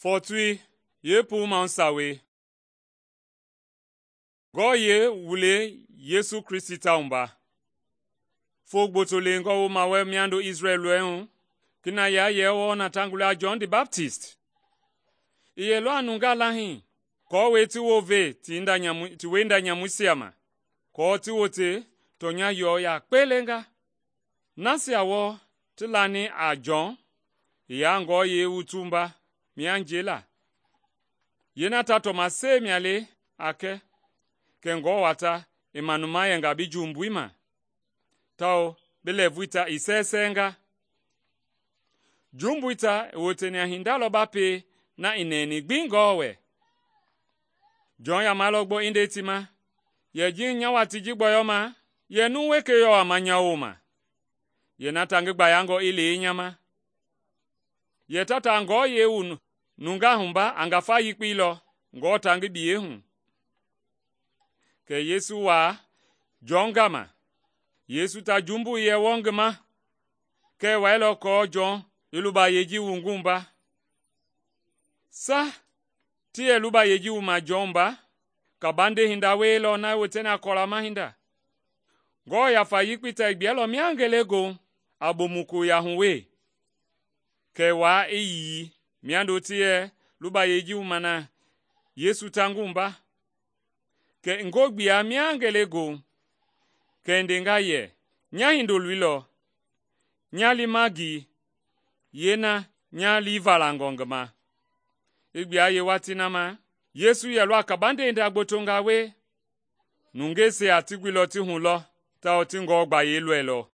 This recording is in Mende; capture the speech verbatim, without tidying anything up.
Fɔɔtui yeepuu Mahu Sawei. Ngɔɔyɛi wu le Yesu Kristi tawumba. Foo gboto leengɔ wooma wɛ miando Isrɛl lɔɛi hu, kinaya yɛ wɔɔ na ta gula a Jɔn the Baptist. I yɛlɔ a nungaa lahii aako ti wounve ti wienda nyamuisia ma, aako ti wote tɔnya yɔɔ yakpe lenga. Nasia wɔɔ ti lani a Jɔn i yaa ngɔɔyɛi wutumba mia njɛi. Yeena ta tɔmasɛi mia le a kɛ kɛ ngɔwata i manuma yɛnga bi jumbui ma, tawao bi lɛɛvui ta i sɛɛsɛɛnga. Jumbui ta i woteni a hinda lɔ ba pie na i nɛɛni gbi Ngewɔ wɛ. Jɔn yamalɔ gbɔ i nde ti ma, yɛ ji nya watii ji gbɔyɔma, yɛ numu wekei yɔ a ma nya wooma. Yeena ta ngi gbayangɔ i lei nya ma. Yɛ tata a ngɔɔyɛi wu nungaa humba a ngafa yekpei lɔ Ngewɔ ta ngi biyei hu. Kɛ Yesu waa Jɔn gama. Yesu ta jumbui yɛ wɔɔ ngi ma, kɛ i wailɔ aako Jɔn i lubayei ji wu ngi wumba. Sa ti yɛ lubayei ji wuma Jɔn wumba, kabande hinda wielɔ na i woteni a kɔlama hinda. Ngewɔ Yafa Yekpei ta i gbiɛlɔ mia ngelegoohu a bomukoya hu wee, kɛ i waa i yii miando ti yɛ lubayei ji wuma na Yesu ta ngi wumba. Kɛ i ngo gbia mia ngelegoohu, kɛ i ndenga yɛ, nya hindoloi lɔ, nya liima ngi yeena nya lii valangɔ ngi ma. I gbua yeewatii na ma, Yesu yɛlɔ a kabande hinda gbotonga we. Nungeisia ti guilɔ ti hulɔ tawao ti Ngewɔ gbayei lɔilɔ.